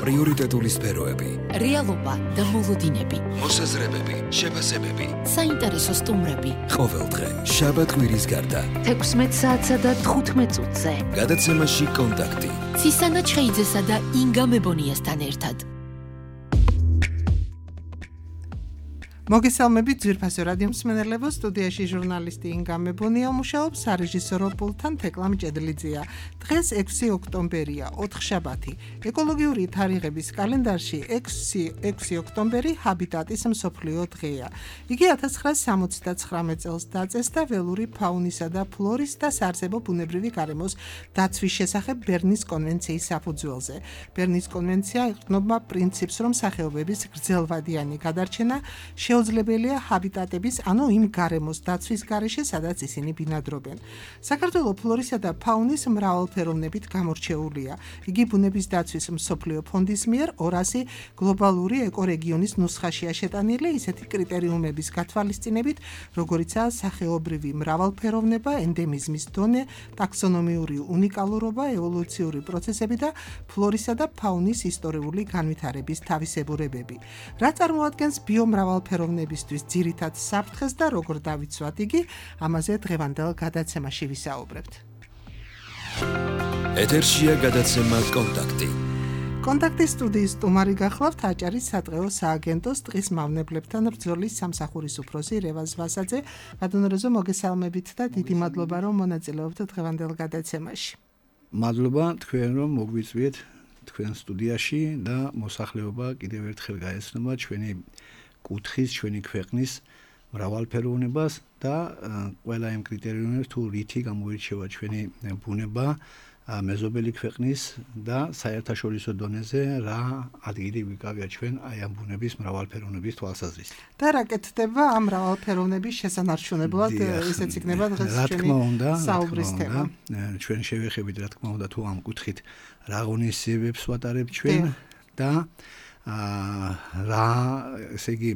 პრიორიტეტული სფეროები, რეალობა და მოლოდინები, მოსაზრებები, შეფასებები, საინტერესო სტუმრები. ყოველდღე შაბათ-კვირის გარდა 16 საათსა და 15 წუთზე. გადაცემაში კონტაქტი. ცისანა ჩხეიძესა და ინგა მებონიასთან ერთად. მოგესალმებით ძვირფასო რადიო მსმენელებო, სტუდიაში ჟურნალისტი ინგა მებონია მუშაობს, სარეჟისორო პულტთან თეკლამ ჭედლიძეა. დღეს 6 ოქტომბერია, ოთხშაბათი. ეკოლოგიური თარიღების კალენდარში 6 ოქტომბერი ჰაბიტატის მსოფლიო დღეა. იგი 1979 წელს დაწესდა ველური ფაუნისა და ფლორის და საარსებო ბუნებრივი გარემოს დაცვის შესახებ ბერნის კონვენციის საფუძველზე. ბერნის კონვენცია ეყრდნობა პრინციპს, რომ სახეობების გრძელვადიანი გადარჩენა შეუძლებელია ჰაბიტატების, ანუ იმ გარემოს დაცვის გარეშე, სადაც ისინი ბინადრობენ. საქართველოს ფლორისა და ფაუნის მრავალფეროვნებით გამორჩეულია. იგი ბუნების დაცვის მსოფლიო ფონდის მიერ 200 გლობალური ეკორეგიონის ნუსხაშია შეტანილი ისეთი კრიტერიუმების გათვალისწინებით, როგორიცაა სახეობრივი მრავალფეროვნება, ენდემიზმის დონე, ტაქსონომიური უნიკალურობა, ევოლუციური პროცესები და ფლორისა და ფაუნის ისტორიული განვითარების თავისებურებები. რა წარმოადგენს ბიომრავალფეროვნებისთვის ძირითად საფრთხეს და როგორ დავიცვათ იგი, ამაზე დღევანდელ გადაცემაში ვისაუბრებთ. ეთერშია გადაცემა კონტაქტი. კონტაქტის სტუდიის სტუმარი გახლავთ აჭარის სატყეო სააგენტოს ტყის მავნებლებთან ბრძოლის სამსახურის უფროსი რევაზ ვასაძე. ბატონო, მოგესალმებით და დიდი მადლობა, რომ მონაწილეობთ დღევანდელ გადაცემაში. მადლობა თქვენ, რომ მოგვიწვიეთ თქვენ სტუდიაში და მოსახლეობა კიდევ ერთხელ გაეცნობა ჩვენი კუთხის, ჩვენი ქვეყნის მრავალფეროვნებას და ყველა იმ კრიტერიუმებს, თუ რითი გამოირჩევა ჩვენი ბუნება მეზობელი ქვეყნის და საერთაშორისო დონეზე რა ადგილი ვიკავია ჩვენ აი ამ ბუნების მრავალფეროვნების თვალსაზრისით. და რა კეთდება ამ მრავალფეროვნების შესანარჩუნებლად, ისეც იქნება დღეს ჩვენი საუბრის თემა. ჩვენ შევეხებით, რა თქმა უნდა, თუ ამ კუთხით რა ღონისძიებებს ვატარებთ ჩვენ და რა, ესე იგი,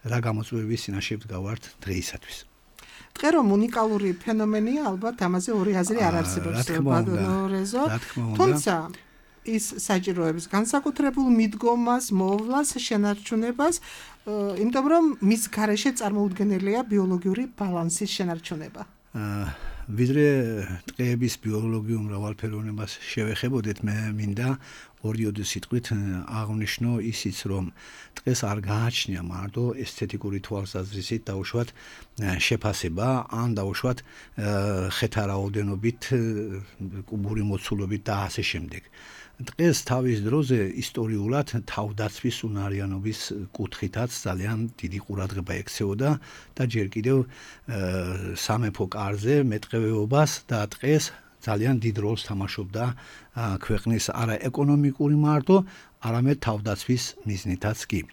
რა გამოწვევების წინაშე ვდგავართ დღეისათვის. ტყე რომ უნიკალური ფენომენია, ალბათ ამაზე ორი აზრი არ არსებობს, ბატონო რეზო. თუმცა ის საჭიროებს განსაკუთრებულ მიდგომას, მოვლას, შენარჩუნებას, იმიტომ რომ მის გარეშე წარმოუდგენელია ბიოლოგიური ბალანსის შენარჩუნება. ვიდრე ტყეების ბიოლოგიურ მრავალფეროვნებას შევეხებოდეთ, მე მინდა ორიოდი სიტყვით აღნიშნო ისიც, რომ ტყეს არ გააჩნია მარტო ესთეტიკური თვალსაზრისით დაუშვათ შეფასება, ან დაუშვათ ხეთა რაოდენობით, კუბური მოცულობით და ასე შემდეგ. ტყეს თავის დროზე ისტორიულად თავდაცვის უნარიანობის კუთხითაც ძალიან დიდი ყურადღება ექცეოდა და ჯერ კიდევ სამეფო კარზე მეტყევეობას და ტყეს ძალიან დიდ როლს თამაშობდა ქვეყნის არა ეკონომიკური მარტო, არამედ თავდაცვის მიზნითაც კი.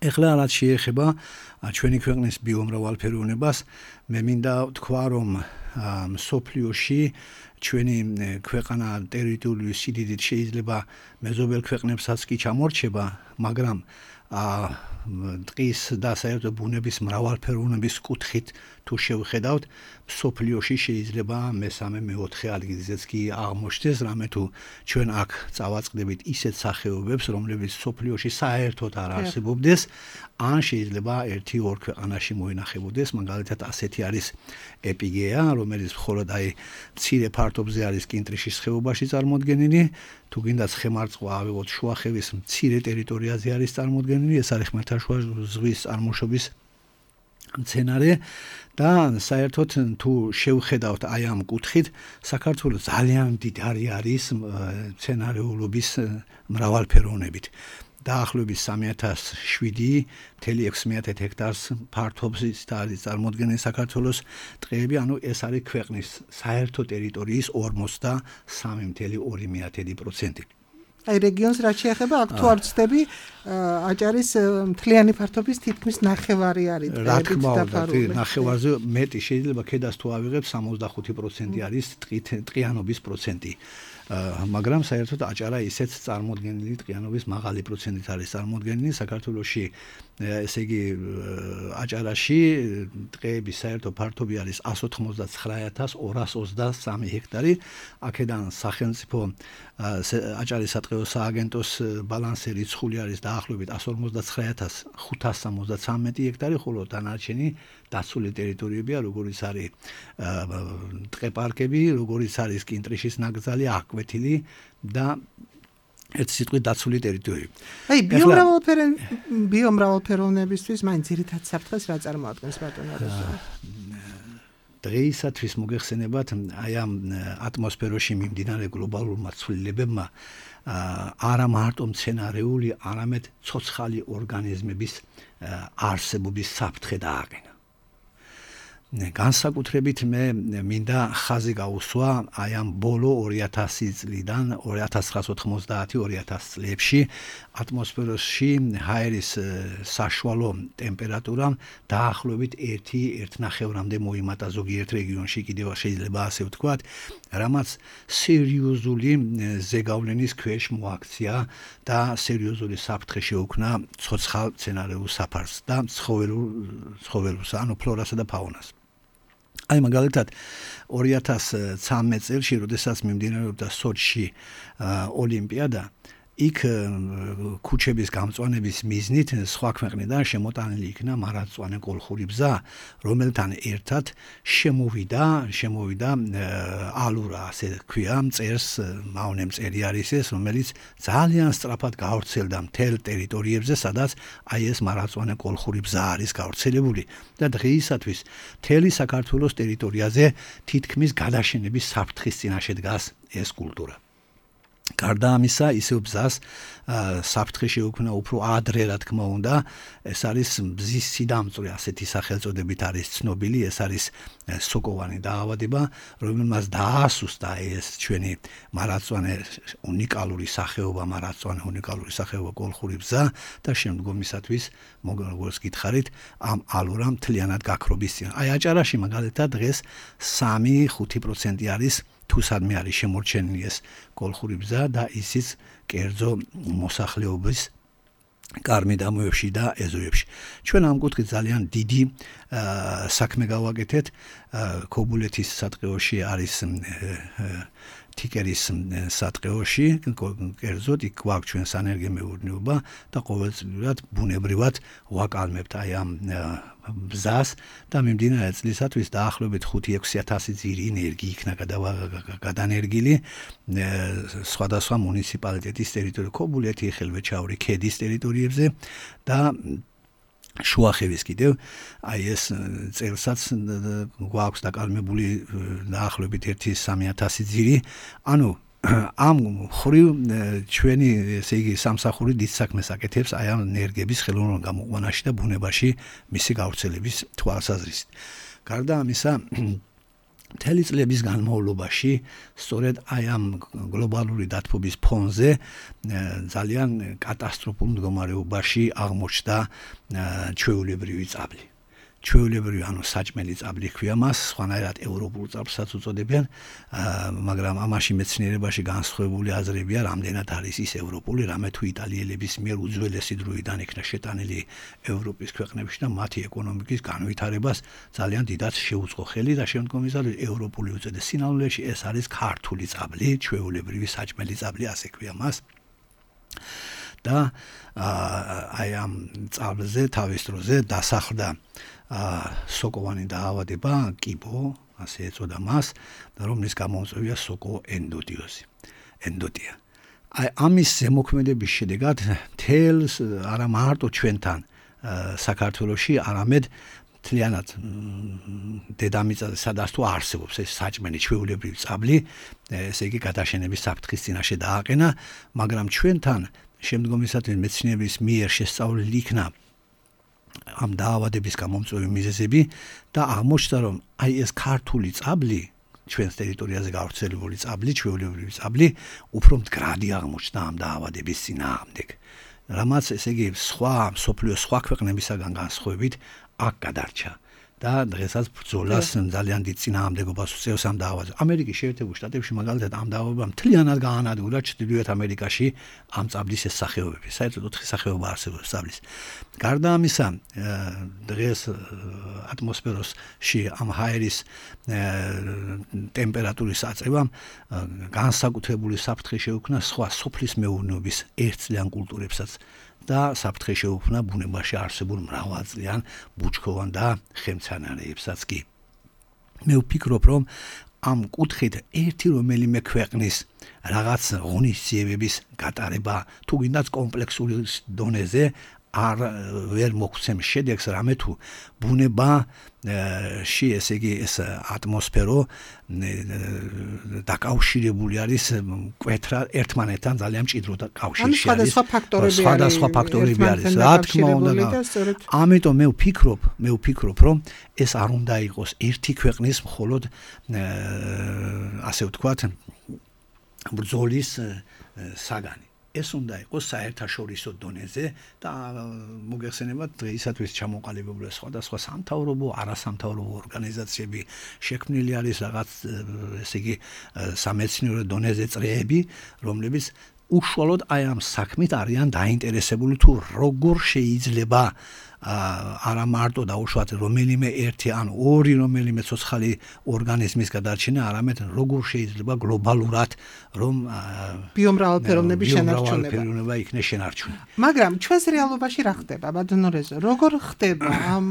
ეხლა რაც შეეხება ჩვენი ქვეყნის ბიომრავალფეროვნებას, მე მინდა ვთქვა, რომ მსოფლიოში ჩვენი ქვეყანა ტერიტორიული სიდიდით შეიძლება მეზობელ ქვეყნებსაც კი ჩამორჩება, მაგრამ ტყის და საერთოდ ბუნების მრავალფეროვნების კუთხით თუ შევხედავთ, მსოფლიოში შეიძლება მესამე, მეოთხე ადგილზეც კი აღმოჩნდეს, რამე თუ ჩვენ აქ წავაწყდებით ისეთ სახეობებს, რომლებიც მსოფლიოში საერთოდ არ არსებობდეს, ან შეიძლება 1-2 ქვეყანაში მოინახებოდეს, მაგალითად ასეთი არის ეპიგეა, რომელიც მხოლოდ აი მცირე ფართობზე არის კინტრიშის ხეობაში წარმოდგენილი, თუ გინდა ცხემარწყვა ავიღოთ შუახევის მცირე ტერიტორიაზე არის წარმოდგენილი, ეს არის ხმელთაშუა ზღვის წარმოშობის მცენარე და საერთოდ თუ შევხედავთ აი ამ კუთხით, საქართველოს ძალიან მდიდარი არის მცენარეულობის მრავალფეროვნებით. დაახლოებით 3700.6 ჰექტარს ფართობის არის წარმოდგენილი საქართველოს ტყეები, ანუ ეს არის ქვეყნის საერთო ტერიტორიის 43.2%. აი რეგიონს რაც შეეხება, აქ თუ არ ვცდები, აჭარის მთლიანი ფართობის თითქმის ნახევარი არის ტყეებით დაფარული. ნახევარზე მეტი შეიძლება ქედას თუ ავიღებ 65% არის ტყიანობის პროცენტი. მაგრამ საერთოდ აჭარა ისეთ წარმოდგენილი ტყიანობის მაღალი პროცენტით არის წარმოდგენილი საქართველოში ესე იგი აჭარაში ტყეების საერთო ფართობი არის 199,223 ჰექტარი აქედან სახელმწიფო აჭარის სატყეო სააგენტოს ბალანსი რიცხული არის დაახლოებით 159,573 ჰექტარი, ხოლო დანარჩენი დაცული ტერიტორიებია, როგორიც არის ტყე-პარკები, როგორიც არის კინტრიშის ნაკრძალი, აკვეთილი და ერთ სიტყვით დაცული ტერიტორიები. აი, ბიომრავალფეროვნებისთვის მაინც ძირითად საფრთხეს რა წარმოადგენს ბატონო როზო? დღეისათვის მოგეხსენებათ, აი ამ ატმოსფეროში მიმდინარე გლობალურმა ცვლილებებმა არა მარტო მცენარეული, არამედ ცოცხალი ორგანიზმების არსებობის საფრთხე დააყენა. განსაკუთრებით მე მინდა ხაზი გაუსვა აი ამ ბოლო 2000 წლიდან 1990-2000 წლებში ატმოსფეროში ჰაერის საშუალო ტემპერატურა დაახლოებით 1.5-მდე მოიმატა ზოგიერთ რეგიონში, კიდევ შეიძლება ასე ვთქვათ, რამაც სერიოზული ზეგავლენის ქვეშ მოაქცია და სერიოზული საფრთხე შეუქმნა ცოცხალ მცენარეულ საფარს და ცხოველურს, ანუ ფლორასა და ფაუნას. აი მაგალითად 2013 წელს, როდესაც მიმდინარეობდა სოჩში ოლიმპიადა, იქ ქუჩების გამწვანების მიზნით სხვა ქვეყნიდან შემოტანილი იქნა მარადმწვანე კოლხური ბზა, რომელთან ერთად შემოვიდა ალურა, ასე ქვია, მწერს მავნე მწერი არის ეს, რომელიც ძალიან სწრაფად გავრცელდა მთელ ტერიტორიებზე, სადაც აი ეს მარადმწვანე კოლხური ბზა არის გავრცელებული და დღეისათვის მთელი საქართველოს ტერიტორიაზე თითქმის გადაშენების საფრთხის წინაშე დგას ეს კულტურა. გარდა ამისა, ისევ ბზას საფრთხე შეუქმნა უფრო ადრე, რა თქმა უნდა, ეს არის ბზის სიდამწვე, ასეთი სახელწოდებით არის ცნობილი, ეს არის სოკოვანი დაავადება, რომელმაც დაასუსტა ეს ჩვენი მარადმწვანე უნიკალური სახეობა კოლხური ბზა და შემდგომისათვის, როგორც გითხარით, ამ ალურა მთლიანად გაქრობის წინ. აი აჭარაში მაგალითად დღეს 3-5% არის თუ სადმე არის შემორჩენილი ეს კოლხური ბზა და ისიც კერძო მოსახლეობის კარმიდამოებში და ეზოებში. ჩვენ ამ კუთხით ძალიან დიდი საქმე გავაკეთეთ. ქობულეთის სატყეოში არის თიკერის სატყეოში, კერძოდ იქ გვაქვს ჩვენ სანერგემეურნეობა და ყოველწლიურად ბუნებრივად ვაკალმებთ აი ამ ბზას და მიმდინარე წლისათვის დაახლოებით 5-6 ძირი ენერგი იქნა გადანერგილი სხვადასხვა მუნიციპალიტეტის ტერიტორიებზე, ქობულეთი, ხელვეჩაური ქედის ტერიტორიებზე და შუახევის კიდევ აი ეს წელსაც გვაქვს დაკალმებული დაახლოებით 1-3,000 ძირი, ანუ ამ ხრივ ჩვენი ესე იგი სამსახური დიდ საქმეს აკეთებს აი ამ ენერგიების ხელოვნურ გამოყვანაში და ბუნებაში მისი გავრცელების თვალსაზრისით. გარდა ამისა, მთელი წლების განმავლობაში სწორედ აი ამ გლობალური დათბობის ფონზე ძალიან კატასტროფულ მდგომარეობაში აღმოჩნდა ჩვეულებრივი წაბლი. ჩვეულებრივი, ანუ საჭმელი წაბლი ქვია მას, სხვანაირად ევროპულ წაბლსაც უწოდებენ, მაგრამ ამაში მეცნიერებაში განსხვავებული აზრებია, რამდენად არის ის ევროპული, რამე თუ იტალიელების მიერ უძველესი დროიდან იქნა შეტანილი ევროპის ქვეყნებში და მათი ეკონომიკის განვითარებას ძალიან დიდად შეუწყო ხელი და შემდგომისათვის ევროპული უწოდეს. სინამდვილეში ეს არის ქართული წაბლი, ჩვეულებრივი საჭმელი წაბლი, ასე ქვია მას. და აი ამ წაბლზე თავის დროზე დასახლდა სოკოვანი დაავადება, კიბო, ასე ეწოდა მას, და რომლის გამომწვევია სოკოენდოტიოზი. ენდოტია. აი ამის ზემოქმედების შედეგად თელს არა მარტო ჩვენთან საქართველოში, არამედ მთლიანად დედამიწაზე სადაც თუ არსებობს ეს საჭმელი ჩვეულებრივი წაბლი, ესე იგი გადაშენების საფრთხის წინაშე დააყენა, მაგრამ ჩვენთან შემდგომისათვის მეცნიერების მიერ შესწავლილი იქნა ამ დაავადების გამომწვევი მიზეზები და აღმოჩნდა, რომ აი ეს ქართული წაბლი, ჩვენს ტერიტორიაზე გავრცელებული წაბლი, ჩვეულებრივი წაბლი, უფრო მდგრადი აღმოჩნდა ამ დაავადების წინააღმდეგ. რამაც ესე იგი მსოფლიოს სხვა ქვეყნებისაგან განსხვავებით აქ გადარჩა და დღესაც ბრძოლას ძალიან დიდ წინააღმდეგობას უწევს ამ დაავადებაზე. ამერიკის შეერთებულ შტატებში მაგალითად ამ დაავადებამ მთლიანად გაანადგურა ჩრდილოეთ ამერიკაში ამ წაბლის ეს სახეობები. საერთოდ 4 სახეობა არსებობს წაბლის. გარდა ამისა, დღეს ატმოსფეროში ამ ჰაერის ტემპერატურის აწევამ განსაკუთრებული საფრთხე შეუქმნა სხვა სოფლის მეურნეობის ერთწლიან კულტურებსაც და საფრთხე შეუქმნა ბუნებაში არსებულ მრავალწლიან ბუჩქოვან და ხემცანარეებსაც კი. მე ვფიქრობ, რომ ამ კუთხით ერთი რომელიმე ქვეყნის რაღაც ღონისძიებების გატარება თუ გინდაც კომპლექსური დონეზე არ ვერ მოგვცემს შედეგს, რამე თუ ბუნებაში ესე იგი ეს ატმოსფერო დაკავშირებული არის მკვეთრად ერთმანეთთან ძალიან მჭიდრო კავშირში არის. სხვადასხვა ფაქტორები არის. რა თქმა უნდა, ამიტომ მე ვფიქრობ, რომ ეს არ უნდა იყოს ერთი ქვეყნის მხოლოდ ასე ვთქვათ ბრძოლის საგანი. ეს უნდა იყოს საერთაშორისო დონეზე და მოგეხსენებათ დღეისათვის ჩამოყალიბებული სხვადასხვა სამთავრობო, არასამთავრობო ორგანიზაციები შექმნილი არის რაღაც ესე იგი სამეცნიერო დონეზე წრეები, რომლებიც უშუალოდ აი ამ საქმით არიან დაინტერესებული თუ როგორ შეიძლება არა მარტო დაუშვათ რომელიმე ერთი ან ორი რომელიმე ცოცხალი ორგანიზმის გადარჩენა, არამედ როგორ შეიძლება გლობალურად რომ ბიომრავალფეროვნების შენარჩუნება იქნეს შენარჩუნებული. მაგრამ ჩვენს რეალობაში რა ხდება, ბატონო რეზო? როგორ ხდება ამ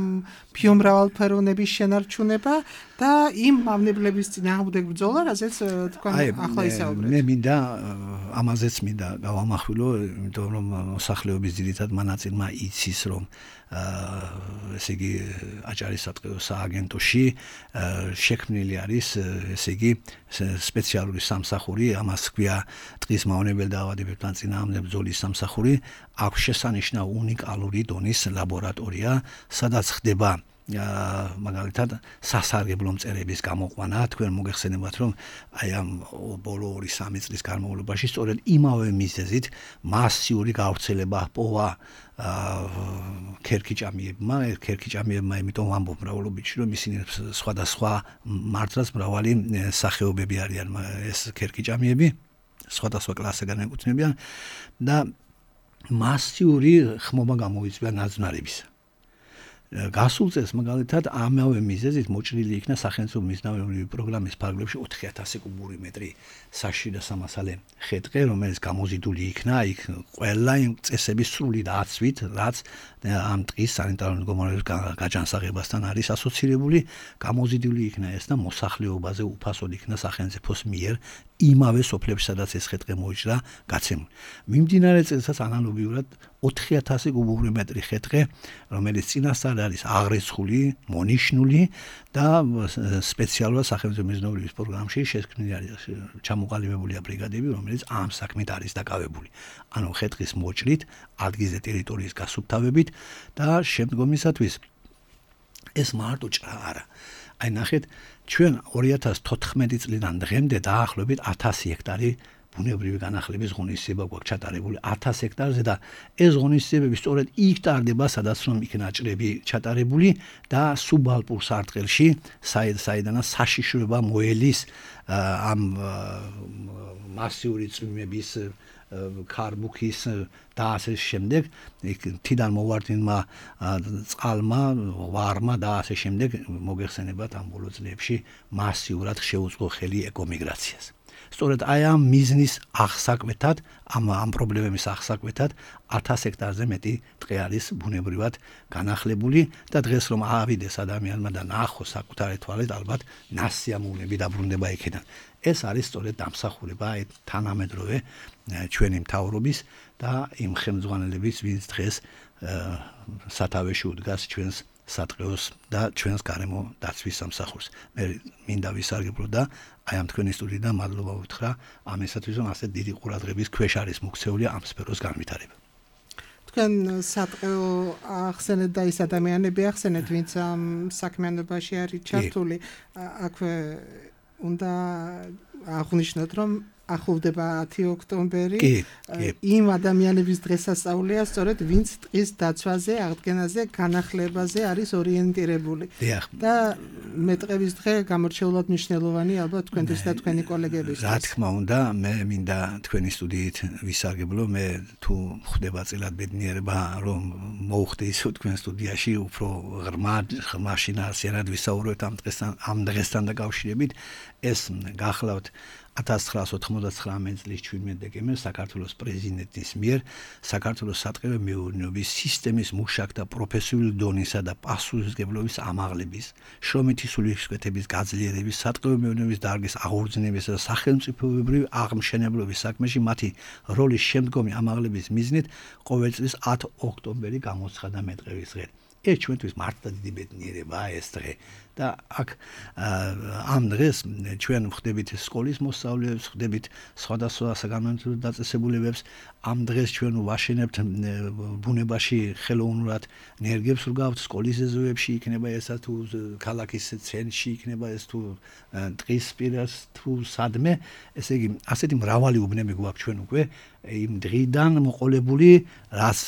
ბიომრავალფეროვნების შენარჩუნება და იმ მავნებლების წინააღმდეგ ბრძოლა, რასაც თქვენ ახლა ისაუბრეთ? მე მინდა ამაზეც მინდა გავამახვილო, იმიტომ რომ მოსახლეობის ძირითად მონაწილემა იცის, რომ ესე იგი აჭარის სატყეო სააგენტოში შექმნილი არის ესე იგი სპეციალური სამსახური, ამას ქვია ტყის მავნებელ დაავადებებთან წინააღმდეგ ბრძოლის სამსახური, აქვს შესანიშნავ უნიკალური დონის ლაბორატორია, სადაც ხდება მაგალითად სასარგებლო მწერების გამოყვანა. თქვენ მოგეხსენებათ, რომ აი ამ ბოლო 2-3 წლის განმავლობაში სწორედ იმავე მიზეზით მასიური გავრცელება ჰპოვა ქერქიჭამიებმა, იმიტომ ვამბობ მრავალობითში, რომ ისინი სხვადასხვა მართლაც მრავალი სახეობები არიან ეს ქერქიჭამიები, სხვადასხვა კლასებიდან ეკუთვნებიან და მასიური ხმობა გამოიწვია ნაძვნარებისა. გასულ წელს მაგალითად ამავე მიზეზით მოჭრილი იქნა სახელმწიფო მიზნაური პროგრამის ფარგლებში 4000 კუბური მეტრი საშიში და სამასალე ხე-ტყე, რომელიც გამოზიდული იქნა იქ ყველა იმ წესების სრული დაცვით, რაც ამ ტყის სანიტარულ-მდგომარეობის გაჯანსაღებასთან არის ასოცირებული, გამოზიდული იქნა ეს და მოსახლეობაზე უფასოდ იქნა სახელმწიფოს მიერ იმავე სოფლებში, სადაც ეს ხე-ტყე მოიჭრა, გაცემული. მიმდინარე წელსაც ანალოგიურად 4000 კუბური მეტრი ხე-ტყე, რომელიც წინასწარ არის აღრეცხული, მონიშნული და სპეციალურად სახელმწიფო მიზნეობის პროგრამში შექმნილი არის ჩამოყალიბებულია ბრიგადები, რომელიც ამ საქმით არის დაკავებული. ანუ ხე-ტყის მოჭრით, ადგილზე ტერიტორიის გასუფთავებით და შემდგომისათვის ეს მარტო ჭრა არა. აი ნახეთ, ჩვენ 2014 წლიდან დღემდე დაახლოებით 1000 ჰექტარი ბუნებრივი განახლების ღონისძიება გვაქვს ჩატარებული 1000 ჰექტარზე და ეს ღონისძიებები სწორედ იქ ტარდება, სადაც რომ იქ ნაჭრები ჩატარებული და სუბალპურ სარტყელში, საიდანაც საშიშროება მოელის ამ მასიური წვიმების ქარბუქის და ასე შემდეგ, თიდან მოვარდინმა წყალმა, ვარმა და ასე შემდეგ მოგეხსენებათ ამ ბოლო წლებში მასიურად შეუწყო ხელი ეკომიგრაციას. სწორედ აი ამ მიზნის აღსაკვეთად, ამ პრობლემების აღსაკვეთად 1000 ჰექტარზე მეტი ტყე არის ბუნებრივად განახლებული და დღეს რომ ავიდეს ადამიანმა და ნახოს საკუთარი თვალით, ალბათ ნასიამოვნები დაბრუნდება იქიდან. ეს არის სწორედ დამსახურება თანამედროვე ჩვენი მთავრობის და იმ ხელმძღვანელების, ვინც დღეს სათავეში უდგას ჩვენს სატყეოს და ჩვენს გარემო დაცვის სამსახურს. მე მინდა ვისარგებლო და აი ამ თქვენი სტუდიიდან მადლობა უთხრა ამისათვის, რომ ასე დიდი ყურადღების ქვეშ არის მოქცეული ამ სფეროს განვითარება. თქვენ სატყეო ახსენეთ და ის ადამიანები ახსენეთ, ვინც ამ საქმიანობაში არის ჩართული, აქვე უნდა აღვნიშნოთ, რომ ახლოვდება 10 ოქტომბერი. იმ ადამიანების დღესასწაულია, სწორედ ვინც ტყის დაცვაზე, აღდგენაზე, განახლებაზე არის ორიენტირებული. და მეტყევის დღე გამორჩეულად მნიშვნელოვანი ალბათ თქვენთვის და თქვენი კოლეგებისთვის. რა თქმა უნდა, მე მინდა თქვენი სტუდიით ვისარგებლო, მე თუ ხდება წილად ბედნიერება, რომ მოუხდეს თქვენ სტუდიაში უფრო ღრმა შინაარსიანად ვისაუბროთ ამ დღესთან დაკავშირებით. ეს გახლავთ 1999 წლის 17 დეკემბერს საქართველოს პრეზიდენტის მიერ საქართველოს სატყეო მეურნეობის სისტემის მუშაკთა პროფესიული დონისა და პასუხისმგებლობის ამაღლების, შრომითი სულისკვეთების გაძლიერების, სატყეო მეურნეობის დარგის აღორძინებისა და სახელმწიფოებრივი აღმშენებლობის საქმეში მათი როლის შემდგომი ამაღლების მიზნით ყოველ წლის 10 ოქტომბერი გამოცხადა მეტყევის დღედ. ეს ჩვენთვის მართლა დიდი ბედნიერებაა ეს დღე. და აქ ამ დღეს ჩვენ ვხდებით სკოლის მოსწავლეებს, ვხდებით სხვადასხვა საგანმანათლებლო დაწესებულებებს. ამ დღეს ჩვენ ვაშენებთ ბუნებაში ხელოვნურად ნერგებს ვგავთ სკოლის ეზოებში, იქნება ესა თუ ქალაქის ცენტრში, იქნება ეს თუ ტყის პირას თუ სადმე. ესე იგი, ასეთი მრავალი უბნები გვაქვს ჩვენ უკვე იმ დღიდან მოყოლებული, რაც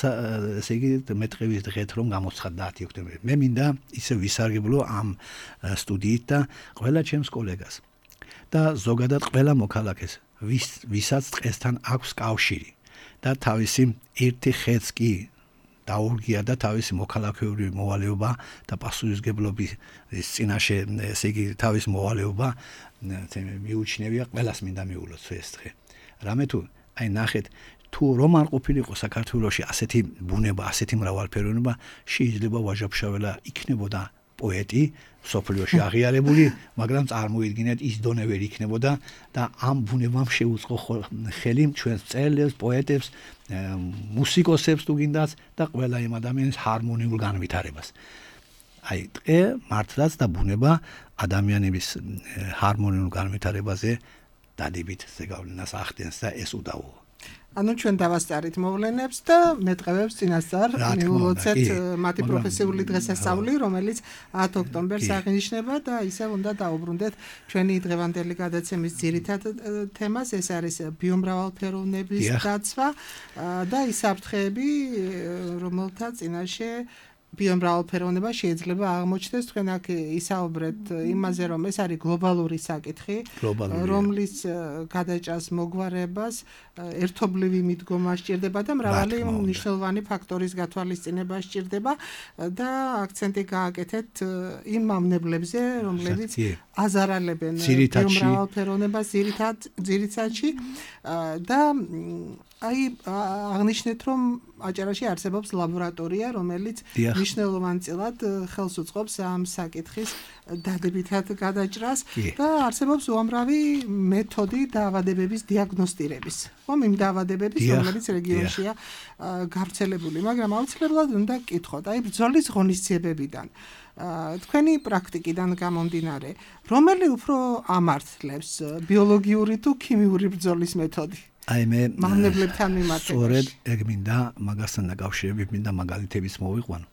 ესე იგი მეტყევის დღეთ რომ გამოცხადდა 10 ოქტომბერი. მე მინდა ისე ვისარგებლო ამ სტუდიით და ყველა ჩემს კოლეგას და ზოგადად ყველა მოქალაქეს, ვისაც დღესთან აქვს კავშირი და თავისი ერთი ხეც კი დაურგია და თავისი მოქალაქეური მოვალეობა და პასუხისმგებლობის წინაშე, ესე იგი თავის მოვალეობა მიუჩნევია, ყველას მინდა მიულოს ეს დღე. რამე თუ აი ნახეთ, თუ რომ არ ყოფილიყო საქართველოში ასეთი ბუნება, ასეთი მრავალფეროვნება, შეიძლება ვაჟა-ფშაველა იქნებოდა პოეტი, სოფლიოში აღიარებული, მაგრამ წარმოიდგინეთ ის დონე ვერ იქნებოდა და ამ ბუნებამ შეუწყო ხელი ჩვენს მწერლებს, პოეტებს, მუსიკოსებს თუ გინდათ და ყველა იმ ადამიანის ჰარმონიულ განვითარებას. აი, დღე მართლაც და ბუნება ადამიანების ჰარმონიულ განვითარებაზე დადებით ზეგავლენას ახდენს და ეს უდავოა. ანუ ჩვენ დავასწარით მოვლენებს და მეტყევებს წინასწარ მიულოცეთ მათი პროფესიული დღესასწაული, რომელიც 10 ოქტომბერს აღინიშნება და ისევ უნდა დაუბრუნდეთ ჩვენი დღევანდელი გადაცემის ძირითად თემას, ეს არის ბიომრავალფეროვნების დაცვა და ის საფრთხეები, რომელთა წინაშე ბიომრავალფეროვნება შეიძლება აღმოჩნდეს. თქვენ აქ ისაუბრეთ იმაზე, რომ ეს არის გლობალური საკითხი, რომლის გადაჭრას მოგვარებას ერთობლივი მიდგომა სჭირდება და მრავალი მნიშვნელოვანი ფაქტორის გათვალისწინება სჭირდება და აქცენტი გააკეთეთ იმ მავნებლებზე, რომლებიც აზარალებენ ბიომრავალფეროვნებას ძირითადში და აი აღნიშნეთ, რომ აჭარაში არსებობს ლაბორატორია, რომელიც მნიშვნელოვანწილად ხელს უწყობს ამ საკითხის დადებითად გადაჭრას და არსებობს უამრავი მეთოდი დაავადებების დიაგნოსტირების. იმ დაავადებების, რომლებიც რეგიონშია გავრცელებული, მაგრამ აუცილებლად უნდა გკითხოთ, აი ბრძოლის ღონისძიებებიდან, თქვენი პრაქტიკიდან გამომდინარე, რომელი უფრო ამართლებს, ბიოლოგიური თუ ქიმიური ბრძოლის მეთოდი? აი მე მავნებლებთან მიმართებაში. სწორედ ეგ მინდა მაგასთან დაკავშირებით მინდა მაგალითების მოვიყვანო.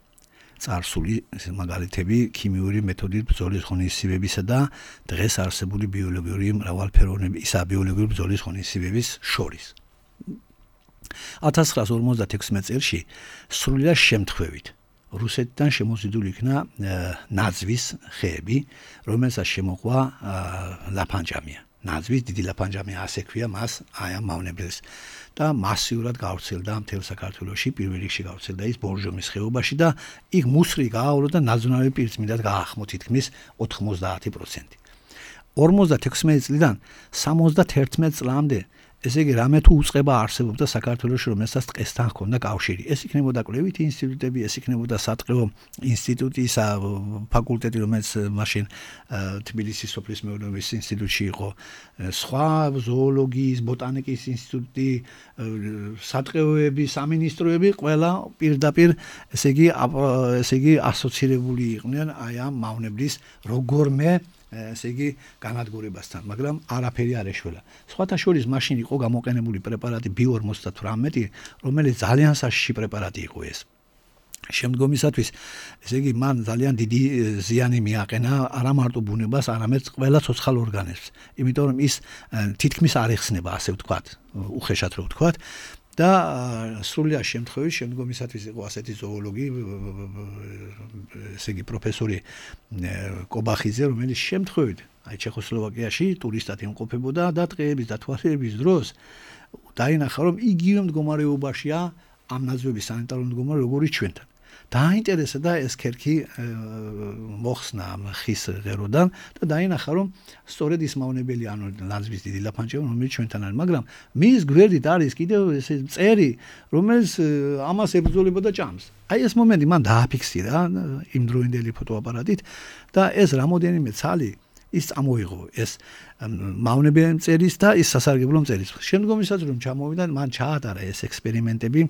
წარსული მაგალითები ქიმიური მეთოდით ბრძოლის ღონისძიებისა და დღეს არსებული ბიოლოგიური მრავალფეროვნებისა ბიოლოგიური ბრძოლის ღონისძიების შორის. 1956 წელს სრულიად შემთხვევით რუსეთიდან შემოზიდული იქნა ნაძვის ხეები, რომელსაც შემოყვა ლაფანჯამია. ნაძვის დიდი ლაფანჯამია, ასე ქვია მას აი ამ მავნებელს და მასიურად გავრცელდა მთელ საქართველოში, პირველ რიგში გავრცელდა ის ბორჟომის ხეობაში და იქ მუსრი გააურო და ნაძვნარი პირწმინდად გაახმო თითქმის 90%. 56 წლიდან 71 წლამდე ესე იგი რამე თუ უწყება არსებობდა საქართველოში, რომელსაც დღესთან ჰქონდა კავშირი. ეს იქნებოდა კვლევითი ინსტიტუტები, ეს იქნებოდა სატყეო ინსტიტუტის ფაკულტეტი, რომელიც მაშინ თბილისის სოფლის მეურნეობის ინსტიტუტში იყო, სხვა ზოოლოგიის, ბოტანიკის ინსტიტუტი, სატყეოები, სამინისტროები, ყველა პირდაპირ ესე იგი ასოცირებული იყვნენ აი ამ მავნებლის როგორმე ესე იგი განადგურებასთან, მაგრამ არაფერი არ ეშველა. სხვათა შორის მაშინ იყო გამოყენებული პრეპარატი ბიო-58, რომელიც ძალიან საშიში პრეპარატი იყო ეს. შემდგომისათვის ესე იგი მან ძალიან დიდი ზიანი მიაყენა არა მარტო ბუნებას, არამედ ყველა ცოცხალ ორგანიზმს. იმიტომ რომ ის თითქმის არ ეხსნება, ასე ვთქვათ, უხეშად რო ვთქვათ და სრულიად შემთხვევით შემდგომისათვის იყო ასეთი ზოოლოგი, ესე იგი პროფესორი კობახიძე, რომელიც შემთხვევით აი ჩეხოსლოვაკიაში ტურისტად იმყოფებოდა და დღეების და თვალხილების დროს დაინახა რომ იგივე მდგომარეობაშია ამ ნაძვების სანიტარული მდგომარეობა როგორიც ჩვენთან. დააინტერესა და ეს ქერქი მოხსნა ამ ხის ღეროდან და დაინახა რომ სწორედ ის მავნებელი ანუ ნაძვის დიდი ლაფანჩები რომელიც ჩვენთან არის, მაგრამ მის გვერდით არის კიდევ ეს მწერი რომელიც ამას ებრძოლება და ჭამს. აი ეს მომენტი მან დააფიქსირა იმ დროინდელი ფოტოაპარატით და ეს რამოდენიმე ცალი ის წამოიღო ეს მავნებელი მწერის და ის სასარგებლო მწერის. შემდგომისაც რომ ჩამოვიდა მან ჩაატარა ეს ექსპერიმენტები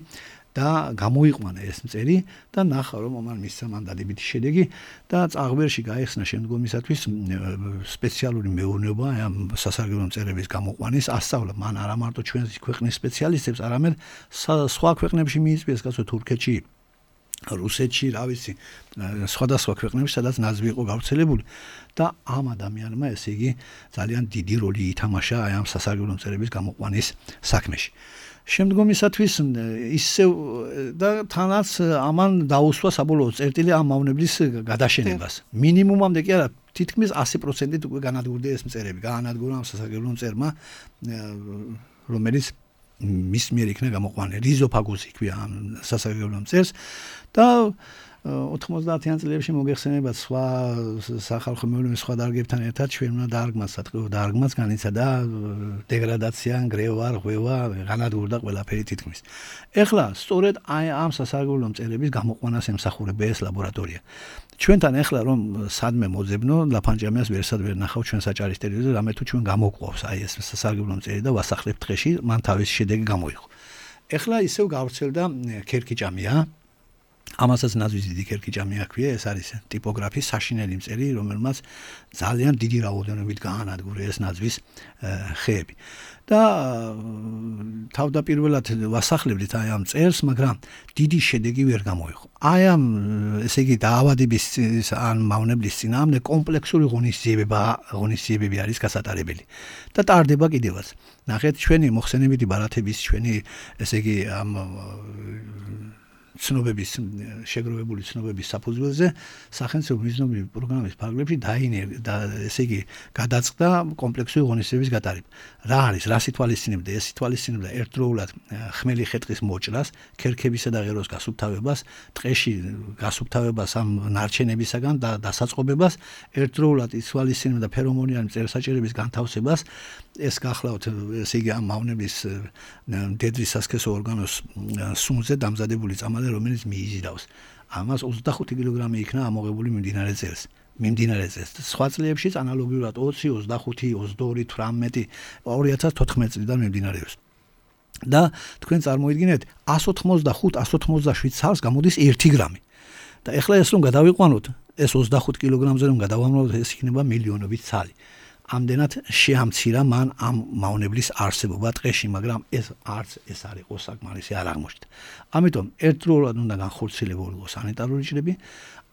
და გამოიყვანა ეს მწერი და ნახა რომ მან მისცა მან დადებითი შედეგი და წაღვერში გაიხსნა შემდგომისათვის სპეციალური მეურნეობა ამ სასარგებლო მწერების გამოყვანის ასწავლა. მან არა მარტო ჩვენს ქვეყნის სპეციალისტებს, არამედ სხვა ქვეყნებში მიიწვიეს, გასო თურქეთში, რუსეთში, რა ვიცი, სხვადასხვა ქვეყნებში, სადაც ნაძვი იყო გავრცელებული და ამ ადამიანმა ესე იგი ძალიან დიდი როლი ითამაშა აი ამ სასარგებლო მწერების გამოყვანის საქმეში. შემდგომისათვის ისევ და თანაც ამან დაუსვა საბოლოო წერტილი ამ მავნებლის გადაშენებას. მინიმუმამდე კი არა, თითქმის 100%-ით უკვე განადგურდა ეს მწერები. გაანადგურა ამ სასარგებლო მწერმა, რომელიც მის მიერ იქნა გამოყვანილი. რიზოფაგუსი იქვია ამ სასარგებლო მწერს და 90-იან წლებში მოგეხსენებათ სხვა სახალხო მეურნეობის სხვა დარგებთან ერთად ჩვენმა დარგმას განიცადა დეგრადაცია, ნგრევა, რღვევა, განადგურდა ყველაფერი თითქმის. ეხლა სწორედ აი ამ სასარგებლო მწერების გამოყვანას ემსახურება ეს ლაბორატორია. ჩვენთან ეხლა რომ სადმე მოძებნო, ლაფანჯამიას ვერსად ვერ ნახავ ჩვენ საჭარის ტელევიზორზე, რამე თუ ჩვენ გამოყვავს აი ეს სასარგებლო მწერი და ვასახლებთ დღეში, მან თავის შედეგი გამოიღო. ეხლა ისევ გავრცელდა ქერქიჭამია. ამასაც ნაძვის დიდი ქერქიჭამი აქვია, ეს არის ტიპოგრაფის საშინელი მწერი, რომელმაც ძალიან დიდი რაოდენობით გაანადგურა ეს ნაძვის ხეები. და თავდაპირველად ვასახლებდით აი ამ მწერს, მაგრამ დიდი შედეგი ვერ გამოიღო. აი ამ ესე იგი დაავადების ან მავნებლის წინააღმდეგ კომპლექსური ღონისძიებები არის გასატარებელი და ტარდება კიდევაც. ნახეთ ჩვენი მოხსენებითი ბარათების, ჩვენი ესე იგი ამ ცნობების შეგროვებული ცნობების საფუძველზე სახელმწიფო მიზნობრივი პროგრამის ფარგლებში ესე იგი გადაწყდა კომპლექსური ღონისძიების გატარება. რა არის, რას ითვალისწინებდა? ეს ითვალისწინებდა ერთდროულად ხმელი ხეტყის მოჭრას, ქერქებისა და ღეროს გასუფთავებას, ტყეში გასუფთავებას ამ ნარჩენებისაგან და დასაწყობებას, ერთდროულად ითვალისწინებდა ფერომონიანი მწერსაჭერების განთავსებას. ეს გახლავთ ესე იგი ამ მავნების მდედრის სასქესო ორგანოს სუნზე დამზადებული წამალი რომელიც მიიზიდავს. ამას 25 კილოგრამი იქნა ამოღებული მიმდინარე წელს. სხვა წლებშიც ანალოგიურად 20, 25, 22, 18, 2014 წლიდან მიმდინარეობს. და თქვენ წარმოიდგინეთ 185-187 ცალს გამოდის 1 გრამი. და ეხლა ეს რომ გადავიყვანოთ, ეს 25 კილოგრამზე რომ გადავამრავლოთ, ეს იქნება მილიონობით ცალი. ამდენად შეამცირა მან ამ მავნებლის არსებობა ტყეში, მაგრამ ეს არც ეს არ იყო საკმარისი, არ აღმოჩნდა. ამიტომ ერთდროულად უნდა განხორციელებულიყო სანიტარული ჭრები,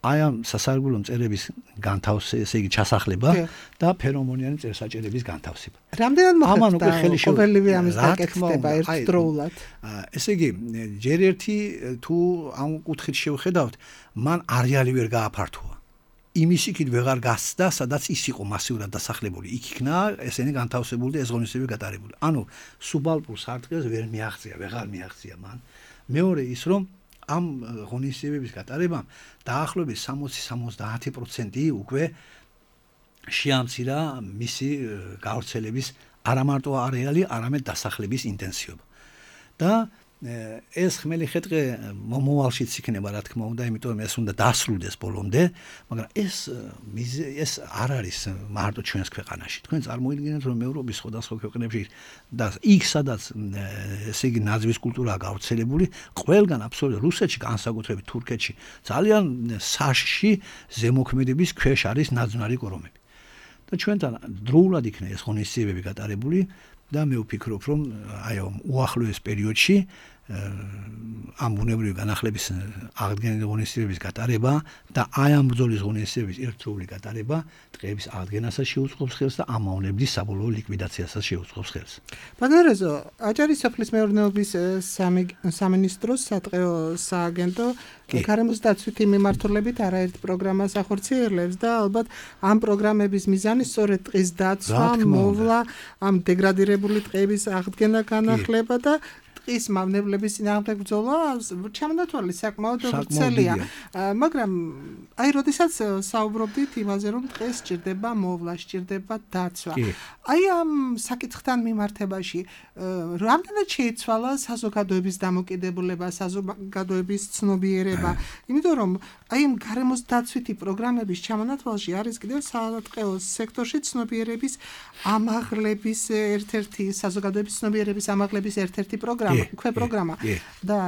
აი ამ სასარგებლო მწერების განთავსება, ესე იგი ჩასახლება და ფერომონიანი მწერსაჭერების განთავსება. რამდენად მოხდა ყოველივე ამის დაკეთება ერთდროულად? ესე იგი, ჯერ ერთი თუ ამ კუთხით შევხედავთ, მან არეალი ვერ გააფართოვა. იმის იქით ვეღარ გასცდა, სადაც ის იყო მასიურად დასახლებული. იქ იქნა ესენი განთავსებული და ეს ღონისძიებები გატარებული. ანუ სუბალპურ სარტყელს ვერ ვეღარ მიაღწია მან. მეორე ის რომ ამ ღონისძიებების გატარებამ დაახლოებით 60-70% უკვე შეამცირა მისი გავრცელების არა მარტო არეალი, არამედ დასახლების ინტენსივობა. და ეს ხმელი ხეტყე მომავალშიც იქნება, რა თქმა უნდა, იმიტომ ეს უნდა დასრულდეს ბოლომდე, მაგრამ ეს არ არის მარტო ჩვენს ქვეყანაში. თქვენ წარმოიდგინეთ, რომ ევროპის სხვადასხვა ქვეყნებში და იქ სადაც ესე იგი ნაძვის კულტურაა გავრცელებული, ყველგან აბსოლუტურად რუსეთში, განსაკუთრებით თურქეთში, ძალიან საშში ზემოქმედების ქვეშ არის ნაძვნარი კორომები. და ჩვენთან დროულად იქნა ეს ღონისძიებები გატარებული. და მე ვფიქრობ, რომ აი ამ უახლოეს პერიოდში ამ ბუნებრივი განახლების აღდგენილი ღონისძიებების გატარება და აი ამ ბრძოლის ღონისძიების ერთდროული გატარება ტყეების აღდგენასაც შეუწყობს ხელს და ამ მავნებლის საბოლოო ლიკვიდაციასაც შეუწყობს ხელს. ბაგნერეზო, აჭარის სოფლის მეურნეობის სამინისტროს სატყეო სააგენტო გარემოს დაცვითი მიმართულებით არაერთ პროგრამას ახორციელებს და ალბათ ამ პროგრამების მიზანი სწორედ ტყის დაცვა, მოვლა, ამ დეგრადირებული ტყეების აღდგენა, განახლება და ტყის მავნებლების წინააღმდეგ ბრძოლა ჩამონათვალი საკმაოდ ვრცელია. მაგრამ აი როდესაც საუბრობდით იმაზე, რომ ტყეს სჭირდება მოვლა, სჭირდება დაცვა. აი ამ საკითხთან მიმართებაში რამდენად შეიცვალა საზოგადოების დამოკიდებულება, საზოგადოების ცნობიერება, იმიტომ რომ აი ამ გარემოს დაცვითი პროგრამების ჩამონათვალში არის კიდევ სატყეო სექტორში ცნობიერების ამაღლების ერთ-ერთი საზოგადოების ცნობიერების ამაღლების ერთ-ერთი პროგრამა და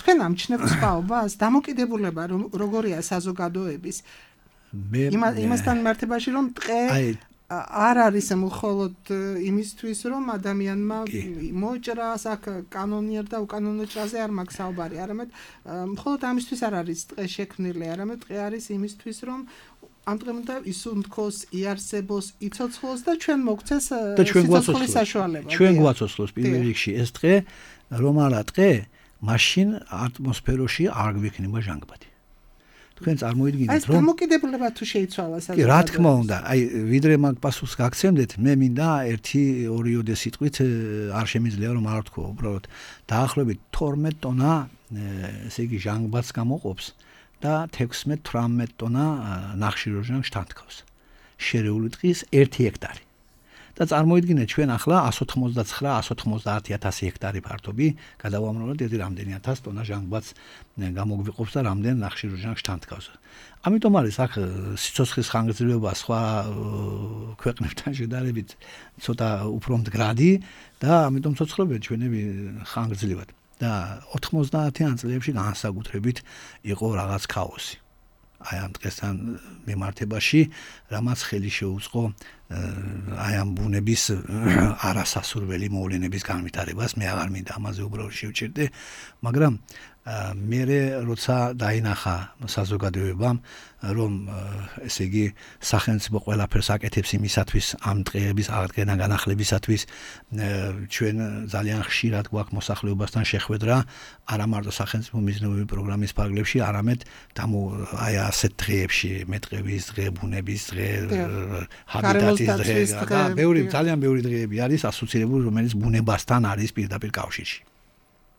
თქვენ ამჩნევთ სხვაობას დამოკიდებულება როგორია საზოგადოების იმასთან მიმართებაში რომ ტყე არ არის მხოლოდ იმისთვის რომ ადამიანმა მოჭრას აქ კანონიერ და უკანონო ჭრაზე არ მაქვს საუბარი, არამედ მხოლოდ ამისთვის არ არის ტყე შექმნილი, არამედ ტყე არის იმისთვის რომ ამ დღემ და ისუნთქოს, იარსებოს, იცოცხლოს და ჩვენ მოგცეს სიცოცხლის საშუალება. ჩვენ გვაცოცხლოს პირველ რიგში ეს ტყე, რომ არა ტყე, მაშინ ატმოსფეროში არ გვიქნება ჟანგბადი. თქვენ წარმოიდგინეთ რომ დამოკიდებულება თუ შეიცვალა კი რა თქმა უნდა, აი ვიდრე მაგ პასუხს გაგცემდეთ, მე მინდა 1-2 სიტყვით არ შემიძლია რომ არ ვთქვა, უბრალოდ დაახლოებით 12 ტონა ესე იგი ჟანგბადს გამოყოფს და 16-18 ტონა ნახშირორჟანგს თანთქავს. შერეული ტყის 1 ჰექტარი. და წარმოიდგინეთ ჩვენ ახლა 189-190,000 ჰექტარი ფართობი გადავამრავლოთ ერთი რამდენი 1000 ტონა ჟანგბადს გამოგვიყოფს და რამდენ ნახშირორჟანგს თანთქავს. ამიტომ არის აქ სიცოცხლის ხანგრძლივობა სხვა ქვეყნებთან შედარებით ცოტა უფრო მდგრადი და ამიტომ ცოცხლობენ ჩვენები ხანგრძლივად. და 90-იან წლებში განსაკუთრებით იყო რაღაც ქაოსი. აი ამ დღესთან მიმართებაში, რამაც ხელი შეუწყო აი ამ ბუნების არასასურველი მოვლენების განვითარებას, მე აღარ მინდა ამაზე უბრალოდ შევჭირდე, მაგრამ მე როცა დაინახა საზოგადოებამ, რომ ესე იგი სახელმწიფო ყველაფერს აკეთებს იმისათვის ამ ტყეების აღდგენა განახლებისათვის, ჩვენ ძალიან ხშირად გვაქვს მოსახლეობასთან შეხვედრა, არა მარტო სახელმწიფო მიზნეობრივი პროგრამის ფარგლებში, არამედ აი ასეთ დღეებში, მეტყევის დღე, ბუნების დღე, ჰაბიტატის დღე და ძალიან ბევრი დღეები არის ასოცირებული, რომელიც ბუნებასთან არის პირდაპირ კავშირში.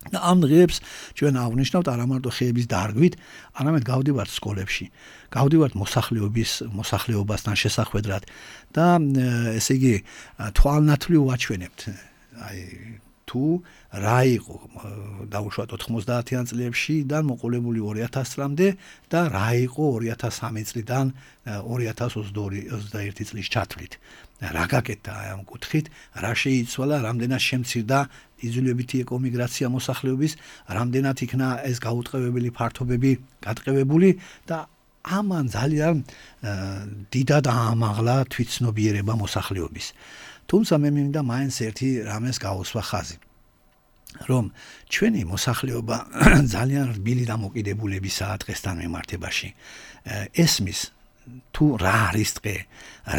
და ამ დღეებს ჩვენ აღნიშნავთ არა მარტო ხეების დარგვით, არამედ გავდივართ სკოლებში, გავდივართ მოსახლეობასთან შესახვედრად და ესე იგი თვალნათვლივ ვაჩვენებთ. აი თუ რა იყო დაუშვათ 90-იან წლებში და მოყოლებული 2000 წლამდე და რა იყო 2003 წლიდან 2022-21 წლის ჩათვლით. რა გაკეთდა ამ კუთხით, რა შეიცვალა, რამდენად შემცირდა იძულებითი ეკომიგრაცია მოსახლეობის, რამდენად იქნა ეს გაუტყევებელი ფართობები გატყევებული და ამან ძალიან დიდად აამაღლა თვითცნობიერება მოსახლეობის. თუმცა მე მინდა მაინც ერთი რამეს გავუსვა ხაზი. რომ ჩვენი მოსახლეობა ძალიან რბილი დამოკიდებულებისაა დღესთან მიმართებაში. ესმის თუ რა არის ტყე,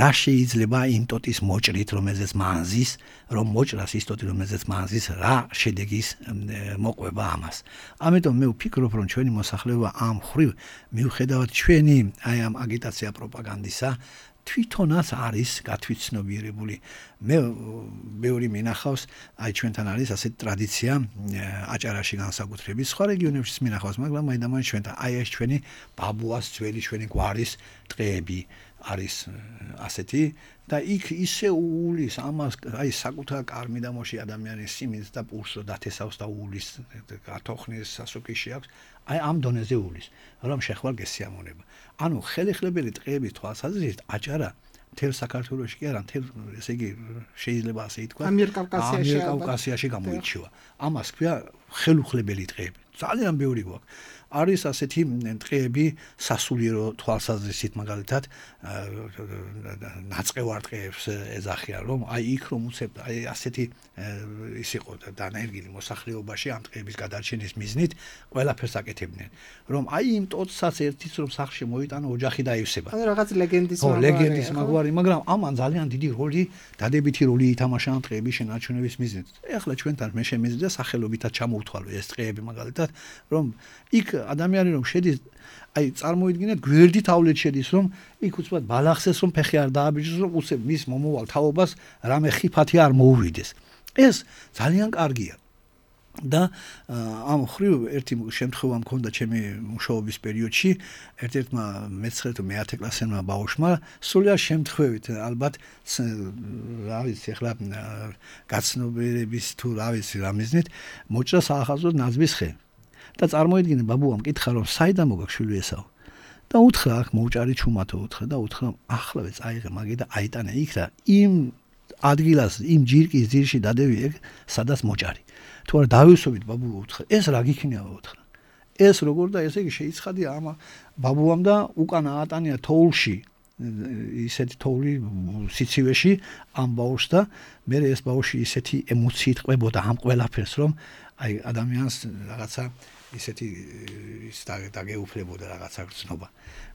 რა შეიძლება იმ ტოტის მოჭრით, რომელზეც მანზის, რომ მოჭრას ის ტოტი, რომელზეც მანზის, რა შედეგის მოყვება ამას. ამიტომ მე ვფიქრობ, რომ ჩვენი მოსახლეობა ამ ხრივ მიუხედავად ჩვენი აი ამ აგიტაცია პროპაგანდისა თვითონაც არის გათვითცნობიერებული. მე ბევრი მინახავს, აი ჩვენთან არის ასეთი ტრადიცია აჭარაში განსაკუთრებით, სხვა რეგიონებშიც მინახავს, მაგრამ მაინდამაინც ჩვენთან აი ეს ჩვენი ბაბუას ძველი ჩვენი გვარის ტყეები არის ასეთი და იქ ისე უulis ამას აი საკუთარ კარმიდამოში ადამიანის სიმინს და პულსს დათესავს და უulis გათოხნის სასუქიში აქვს. აი ამ დონეზე უulis, რომ შეხვალ გესიამონება. ანუ ხელეხლებელი ტყეების თვალსაზრისით აჭარა მთელ საქართველოში კი არა, მთელ ესე იგი შეიძლება ასე ითქვა, ამიერკავკასიაში გამოირჩევა. ამას ქვია ხელუხლებელი ტყეები. ძალიან ბევრი გვაქვს. არის ასეთი ტყეები სასულიერო თვალსაზრისით მაგალითად ნაწყევარტყეებს ეძახიან რომ აი იქ რომ უცებ აი ასეთი ის იყო დანერგილი მოსახლეობაში ამ ტყეების გადარჩენის მიზნით ყველაფერს აკეთებდნენ რომ აი იმ ტოცსაც ერთის რომ სახლში მოიტანა ოჯახი დაივსება ანუ რაღაც ლეგენდის მაგვარი მაგრამ ამან ძალიან დიდი როლი დადებითი როლი ითამაშა ამ ტყეების შენარჩუნების მიზნით ეხლა ჩვენთან მე შემიძლია სახელობითად ჩამოვთვალო ეს ტყეები მაგალითად რომ იქ ადამიანი რომ შედის აი წარმოიდგინეთ გვერდით ავლეთ შედის რომ იქ უცბად ბალახსეს რომ ფეხი არ დააბიჯოს რომ უცებ მის მომავალ თაობას რამე ხიფათი არ მოუვიდეს ეს ძალიან კარგია და ამ ხრივ ერთი შემთხვევა მქონდა ჩემი მუშაობის პერიოდში ერთ-ერთმა მე-9 თუ მე-10 კლასელმა ბავშვმა სულიერ შემთხვევით ალბათ რა ვიცი ახლა გაცნობიერების თუ რა ვიცი რა მიზნით მოჭრა საახალწლო ნაზვის ხე და წარმოიდგინე ბაბუამ კითხა რომ საიდან მოგაქვს შვილი ესაო და უთხრა აქ მოუჭარი ჩუმათო უთხრა და უთხრა ახლავე წაიღე მაგი და აიტანე იქ და იმ ადგილას იმ ჯირკის ძირში დადევი ეგ სადაც მოჭარი თუ არა დავისობით ბაბუა უთხრა ეს რა გიქნიაო უთხრა ეს როგორ და ესე იგი შეიცხადია ამ ბაბუამ და უკან აატანია თოვლში ისეთი თოვლი სიცივეში ამ ბავშვს და მე ეს ბავშვი ისეთი ემოციით ყვებოდა ამ ყველაფერს რომ აი ადამიანს რაღაცა ისეთი ის დაგეუფლებოდა რაღაცა გრძნობა.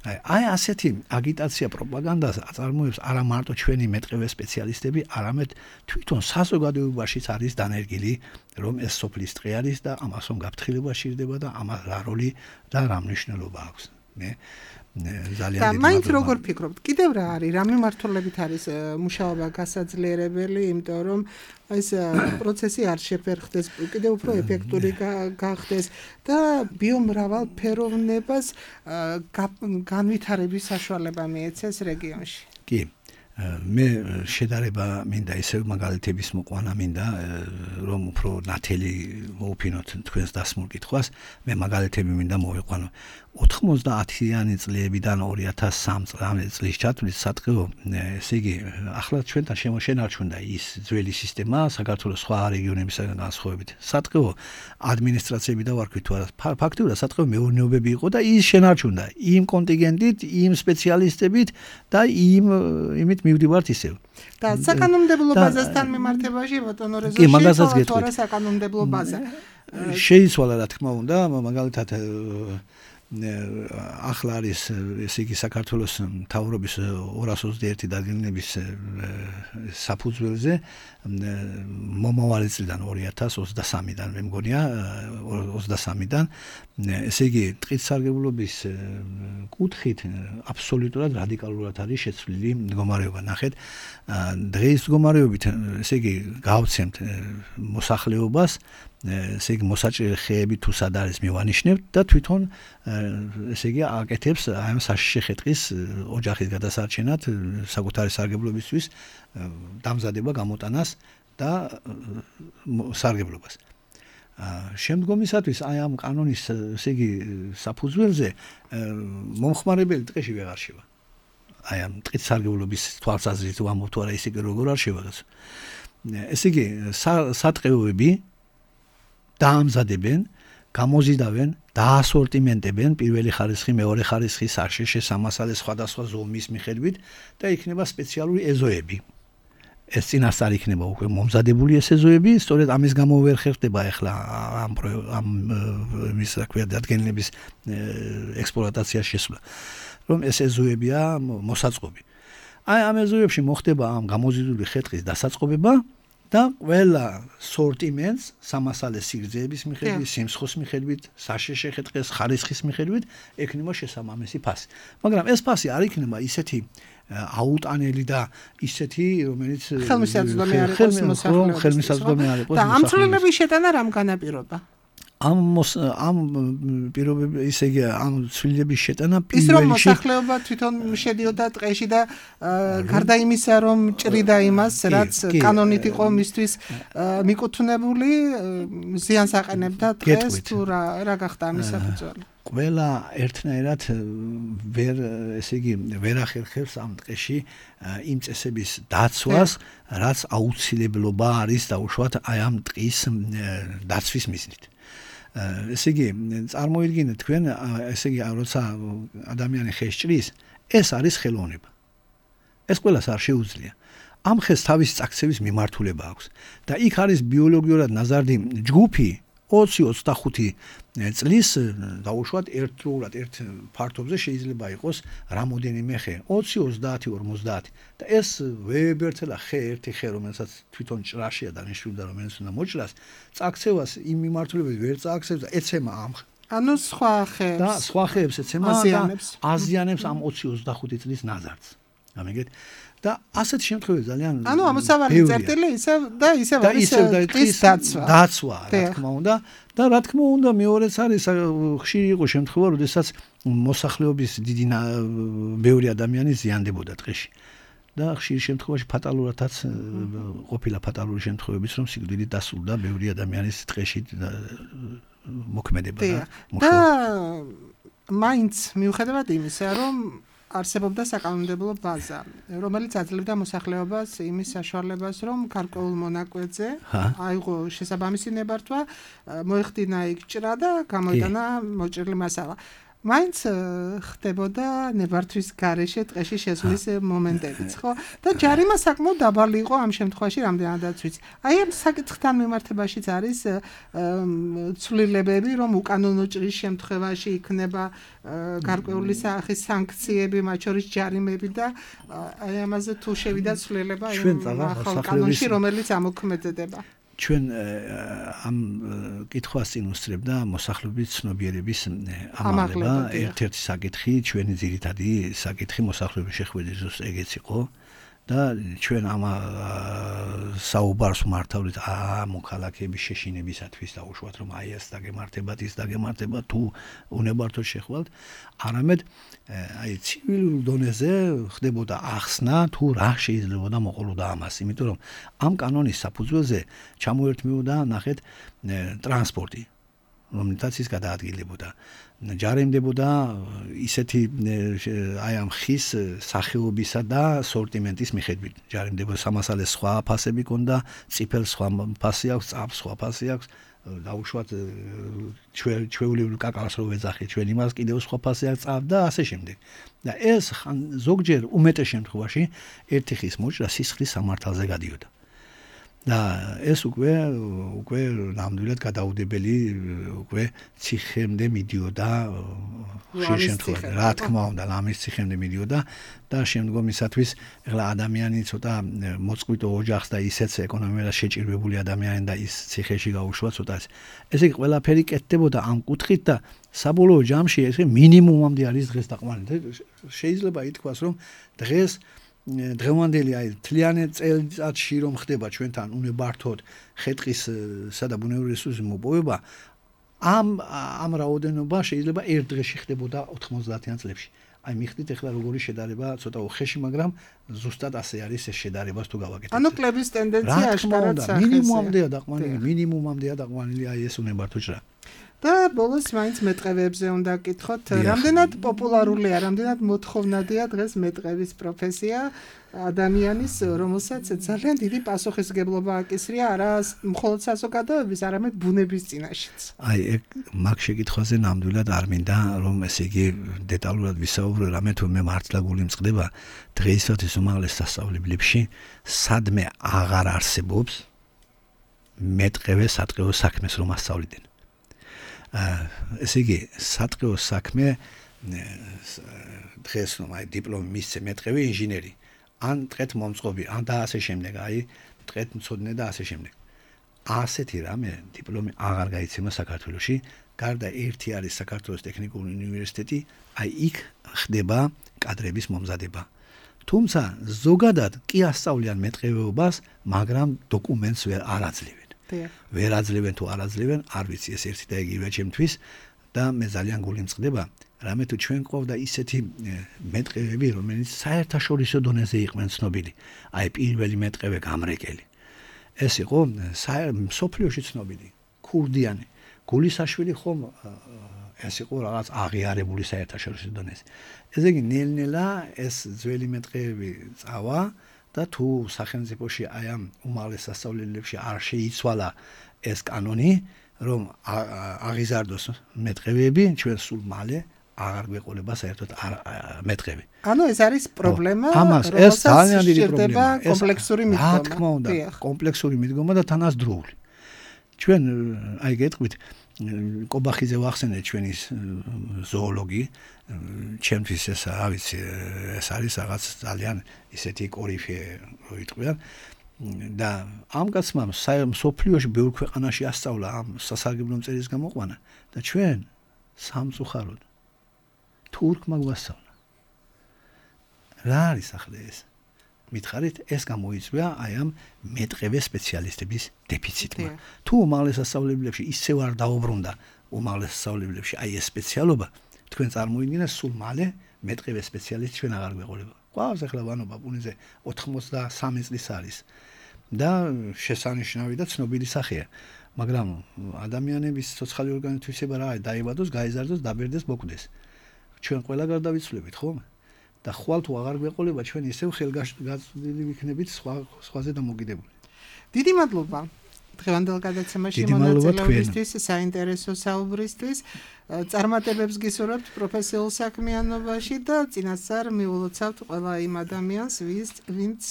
აი ასეთი აგიტაცია პროპაგანდას აწარმოებს არა მარტო ჩვენი მეტყევე სპეციალისტები, არამედ თვითონ საზოგადოებაშიც არის დანერგილი, რომ ეს სოფლის ტყე არის და ამას რომ გაფრთხილება სჭირდება და ამას რა როლი და რა მნიშვნელობა აქვს. ძალიან და მაინც როგორ ფიქრობთ? კიდევ რა არის? რა მიმართულებით არის მუშაობა გასაძლიერებელი, იმიტომ რომ ეს პროცესი არ შეფერხდეს, კიდევ უფრო ეფექტური გახდეს და ბიომრავალფეროვნებას განვითარების საშუალება მიეცეს რეგიონში. კი. მე შედარება მინდა ისევ მაგალითების მოყვანა მინდა რომ უფრო ნათელი მოუფინოთ თქვენს დასმულ კითხვას მე მაგალითები მინდა მოვიყვანო 90-იანი წლებიდან 2003 წლის ჩათვლის სატყეო ესე იგი ახლა ჩვენთან შემოშენარჩუნდა ის ძველი სისტემა საქართველოს სხვა რეგიონებისგან განსხვავებით სატყეო ადმინისტრაციები და ვარქვით თუ არა ფაქტობრივად სატყეო მეურნეობები იყო და ის შენარჩუნდა იმ კონტინგენტით იმ სპეციალისტებით და იმით მივდივართ ისევ და საკანონმდებლო ბაზასთან მიმართებაში ბატონო რეზოლუცია თუ არა საკანონმდებლო ბაზა შეიცვალა რა თქმა უნდა მაგალითად ახლა არის ესე იგი საქართველოს მთავრობის 221 დადგენილების საფუძველზე მომავალი წლიდან 2023-დან მე მგონია 23-დან ესე იგი ტყით სარგებლობის კუთხით აბსოლუტურად რადიკალურად არის შეცვლილი მდგომარეობა ნახეთ დღეს მდგომარეობით ესე იგი გავცემთ მოსახლეობას ესე იგი მოსაჭრელი ხეები თუ სად არის მივანიშნებთ და თვითონ ესე იგი აკეთებს აი ამ საშიში ხე-ტყის ოჯახის გადასარჩენად საკუთარი სარგებლობისთვის დამზადება გამოტანას და სარგებლობას შემდგომისათვის აი ამ კანონის ესე იგი საფუძველზე მომხმარებელი ტყეში ვეღარ შევა აი ამ ტყით სარგებლობის თვალსაზრისით ვამბობ თუ არა ისე როგორ არ შევა ესე იგი სატყეოები დაამზადებენ, გამოზიდავენ, დაასორტიმენტებენ პირველი ხარისხი, მეორე ხარისხი, საშიშე, სამასალე სხვადასხვა ზომის მიხედვით და იქნება სპეციალური ეზოები. ეს წინასწარ იქნება უკვე მომზადებული ეს ეზოები, სწორედ ამის გამო ვერ ხერხდება ახლა ამ მის რა ქვია დადგენილების ექსპლუატაცია შესვლა. რომ ეს ეზოებია მოსაწყობი. აი ამ ეზოებში მოხდება ამ გამოზიდული ხე-ტყის დასაწყობება და ყველა სორტიმენტს სამასალე სიგრძეების მიხედვით, სიმსხოს მიხედვით, საშიში ხე-ტყის ხარისხის მიხედვით ექნება შესაბამისი ფასი. მაგრამ ეს ფასი არ იქნება ისეთი აუტანელი და ისეთი, რომელიც ხელმისაწვდომი არ იყოს მოსახლეობის. ხელმისაწვდომი არ იყოს. და ამ ცვლილების შეტანა რამ განაპირობა? ამ პირობები ისე იგი ამ ცვლილების შეტანა ის რომ მოსახლეობა თვითონ შედიოდა ტყეში და გარდა იმისა რომ ჭრიდა იმას რაც კანონით იყო მისთვის მიკუთვნებული ზიანს აყენებდა ტყეს თუ რა გახდა ამის საფუძველი ყველა ერთნაირად ვერ ესე იგი ვერ ახერხებს ამ ტყეში იმ წესების დაცვას რაც აუცილებლობა არის დაუშვათ აი ამ ტყის დაცვის მიზნით ესე იგი, წარმოიდგინეთ თქვენ, ესე იგი, როცა ადამიანი ხეს ჭრის, ეს არის ხელოვნება. ეს ყველას არ შეუძლია. ამ ხეს თავის წაქცევის მიმართულება აქვს და იქ არის ბიოლოგიურად ნაზარდი ჯგუფი 20-25 წლის დაუშვათ ერთდროულად ერთ ფართობზე შეიძლება იყოს რამოდენიმე ხე 20-30-50 და ეს ვეებერთელა ხე ერთი ხე რომელსაც თვითონ ჭრაშია დანიშნული და რომელიც უნდა მოჭრას წაქცევას იმ მიმართულებით ვერ წააქცევს და ეცემა ამ ანუ სხვა ხეებს და სხვა ხეებს ეცემა და აზიანებს ამ 20-25 წლის ნაზარდს გამიგეთ და ასეთ შემთხვევაში ძალიან ანუ ამოსავალი წერტილი ისევ და ისევ არის ტყის დაცვა რა თქმა უნდა და რა თქმა უნდა მეორეც არის ხშირი იყო შემთხვევა როდესაც მოსახლეობის დიდი ბევრი ადამიანი ზიანდებოდა ტყეში და ხშირი შემთხვევაში ფატალურადაც ყოფილა ფატალური შემთხვევებიც რომ სიკვდილით დასრულდა ბევრი ადამიანის ტყეში მოქმედება და მაინც მიუხედავად იმისა რომ არსებობდა საკანონმდებლო ბაზა, რომელიც აძლევდა მოსახლეობას იმის საშუალებას, რომ გარკვეულ მონაკვეთზე აიღო შესაბამისი ნებართვა, მოეხდინა იქ ჭრა და გამოიტანა მოჭრილი მასალა. მაინც ხდებოდა ნებართვის გარეშე ტყეში შესვლის მომენტებიც, ხო? და ჯარიმა საკმაოდ დაბალი იყო ამ შემთხვევაში, რამდენადაც ვიცი. აი ამ საკითხთან მიმართებაშიც არის ცვლილებები, რომ უკანონო ჭრის შემთხვევაში იქნება გარკვეული სახის სანქციები, მათ შორის ჯარიმები და აი ამაზე თუ შევიდა ცვლილება იმ ახალ კანონში, რომელიც ამოქმედდება. ჩვენ ამ კითხვას წინ უსწრებდა მოსახლეობის ცნობიერების ამაღლება. ერთ-ერთი საკითხი, ჩვენი ძირითადი საკითხი მოსახლეობის შეხვედრის ეგეც იყო და ჩვენ ამ საუბარს მართავლით მოქალაქეების შეშინებისათვის დაუშვათ რომ აი ეს დაგემართებათ ის დაგემართება თუ უნებართოდ შეხვალთ არამედ აი ცივილურ დონეზე ხდებოდა ახსნა თუ რა შეიძლებოდა მოყოლოდა ამას იმიტომ რომ ამ კანონის საფუძველზე ჩამოერთმეოდა ნახეთ ტრანსპორტი რომელთაც ის გადაადგილებოდა ჯარიმდებოდა ისეთი აი ამ ხის სახეობისა და სორტიმენტის მიხედვით ჯარიმდებოდა სამასალეს სხვა ფასები ქონდა წიფელს სხვა ფასი აქვს წაფს სხვა ფასი აქვს დაუშვათ ჩვეულებრივ კაკალს რო ვეძახი ჩვენ იმას კიდევ სხვა ფასი აქვს წაფ და ასე შემდეგ და ეს ზოგჯერ უმეტეს შემთხვევაში ერთი ხის მოჭრა სისხლის სამართალზე გადიოდა და ეს უკვე ნამდვილად გადაუდებელი უკვე ციხემდე მიდიოდა ხშირ შემთხვევაში რა თქმა უნდა ლამის ციხემდე მიდიოდა და შემდგომისათვის ეხლა ადამიანი ცოტა მოწყვიტო ოჯახს და ისეც ეკონომიურად შეჭირვებული ადამიანი და ის ციხეში გაუშვა ცოტა ესე იგი ყველაფერი კეთდებოდა ამ კუთხით და საბოლოო ჯამში ეს მინიმუმამდე არის დღეს დაყვანილი შეიძლება ითქვას რომ დღეს დღევანდელი აი თლიანი წელიწადში რომ ხდება ჩვენთან უნებართოდ ხეტყისა და ბუნებრივი რესურსის მოპოვება ამ რაოდენობა შეიძლება ერთ დღეში ხდებოდა 90-იან წლებში. აი მიხდით ახლა როგორი შედარება ცოტა უხეში, მაგრამ ზუსტად ასე არის ეს შედარებას თუ გავაკეთებთ. ანუ კლების ტენდენცია აშკარად მინიმუმამდეა დაყვანილი აი ეს უნებართო ჭრა. და ბოლოს მაინც მეტყევებზე უნდა გკითხოთ, რამდენად პოპულარულია, რამდენად მოთხოვნადია დღეს მეტყევის პროფესია ადამიანის, რომელსაც ძალიან დიდი პასუხისმგებლობა აკისრია არა მხოლოდ საზოგადოების, არამედ ბუნების წინაშეც. აი ეგ მაგ შეკითხვაზე ნამდვილად არ მინდა რომ ესე იგი დეტალურად ვისაუბრო, რამე თუ მე მართლა გული მწყდება დღეისათვის უმაღლეს სასწავლებლებში სადმე აღარ არსებობს მეტყევე სატყეო საქმეს რომ ასწავლდნენ. ესე იგი სატყეო საქმე დღეს რომ აი დიპლომი მისცე მეტყევი ინჟინერი ან ტყეთ მომწყობი ან და ასე შემდეგ აი ტყეთ მცოდნე და ასე შემდეგ ასეთი რამე დიპლომი აღარ გაიცემა საქართველოში გარდა ერთი არის საქართველოს ტექნიკური უნივერსიტეტი აი იქ ხდება კადრების მომზადება თუმცა ზოგადად კი ასწავლიან მეტყევეობას მაგრამ დოკუმენტს არ აძლევენ ვერ აძლევენ თუ არ აძლევენ არ ვიცი ეს ერთი და იგივე ჩემთვის და მე ძალიან გული მწყდება რამე თუ ჩვენ ყავდა ისეთი მეტყევები რომელიც საერთაშორისო დონეზე იყვნენ ცნობილი აი პირველი მეტყევე გამრეკელი ეს იყო სოფლიოში ცნობილი ქურდიანი გულისაშვილი ხომ ეს იყო რაღაც აღიარებული საერთაშორისო დონეზე ესე იგი ნელ-ნელა ეს ძველი მეტყევები წავა და თუ სახელმწიფოში აი ამ უმაღლეს სასწავლებლებში არ შეიცვალა ეს კანონი რომ აღიზარდოს მეტყევები, ჩვენ სულ მალე აღარ გვეყოლება საერთოდ მეტყევი. ანუ ეს არის პრობლემა, ამას ეს ძალიან დიდი პრობლემაა. კომპლექსური მიდგომა. რა თქმა უნდა, კომპლექსური მიდგომა და თანაც დროული. ჩვენ აი გეტყვით კობახიძე ვახსენეთ ჩვენი ზოოლოგი, ჩემთვის ეს რა ვიცი, ეს არის რაღაც ძალიან ისეთი კორიფე როიტყვიან და ამ კაცმა სოფლიოში ბევრ ქვეყანაში ასწავლა ამ სასარგებლო მწერის გამოყვანა და ჩვენ სამწუხაროდ თურქმა გვასწავლა. რა არის ახლა ეს? მითხარით, ეს გამოიწვია აი ამ მეტყევე სპეციალისტების დეფიციტმა. თუ უმაღლეს სასწავლებლებში ისევ არ დაუბრუნდა უმაღლეს სასწავლებლებში აი ეს სპეციალობა, თქვენ წარმოიდგინეთ სულ მალე მეტყევე სპეციალისტი ჩვენ აღარ გვეყოლება. ყავს ახლა ვანობა პუნიზე 83 წლის არის და შესანიშნავი და ცნობილი სახეა. მაგრამ ადამიანების ცოცხალი ორგანიზმის თვისება რა არის? დაიბადოს, გაიზარდოს, დაბერდეს, მოკვდეს. ჩვენ ყველა გარდავიცვლებით, ხომ? და ხვალ თუ აღარ გვეყოლება ჩვენ ისევ ხელგაწვდილი ვიქნებით სხვაზე დამოკიდებული. დიდი მადლობა დღევანდელ გადაცემაში მონაწილეობისთვის, საინტერესო საუბრისთვის. წარმატებებს გისურვებთ პროფესიულ საქმიანობაში და წინასწარ მიულოცავთ ყველა იმ ადამიანს, ვინც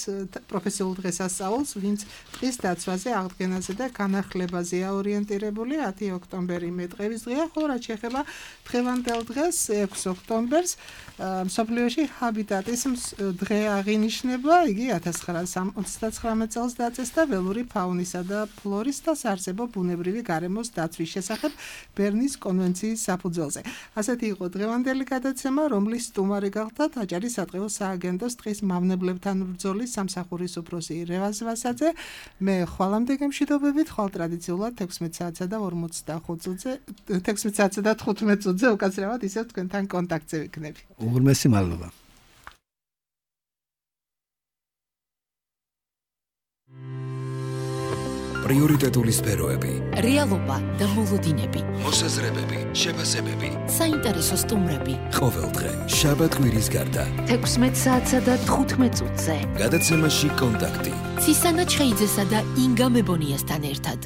პროფესიულ დღესასწაულს, ვინც ტყის დაცვაზე, აღდგენაზე და განახლებაზეა ორიენტირებული. 10 ოქტომბერი მეტყევის დღეა, ხოლო რაც შეეხება დღევანდელ დღეს 6 ოქტომბერს მსოფლიოში ჰაბიტატის დღე აღინიშნება. იგი 1939 წელს დაწესდა ველური ფაუნისა და ფლორის და საარსებო ბუნებრივი გარემოს დაცვის შესახებ ბერნის კონვენციის საფუძველზე. ასეთი იყო დღევანდელი გადაცემა, რომლის სტუმარი გახდათ აჭარის სადღეო სააგენტოს ტყის მავნებლებთან ბრძოლის სამსახურის უფროსი რევაზ ვასაძე. მე ხვალამდე გემშვიდობებით, ხვალ ტრადიციულად 16 საათსა და 15 წუთზე უკაცრავად ისევ თქვენთან კონტაქტზე ვიქნები. უღრმესი მადლობა. პრიორიტეტული სფეროები, რეალობა და მოლოდინები, მოსაზრებები, შეფასებები, საინტერესო სტუმრები. ყოველდღე შაბათ-კვირის გარდა 16 საათსა და 15 წუთზე. გადაცემაში კონტაქტი. ცისანა ჩხეიძესა და ინგა მებონიასთან ერთად.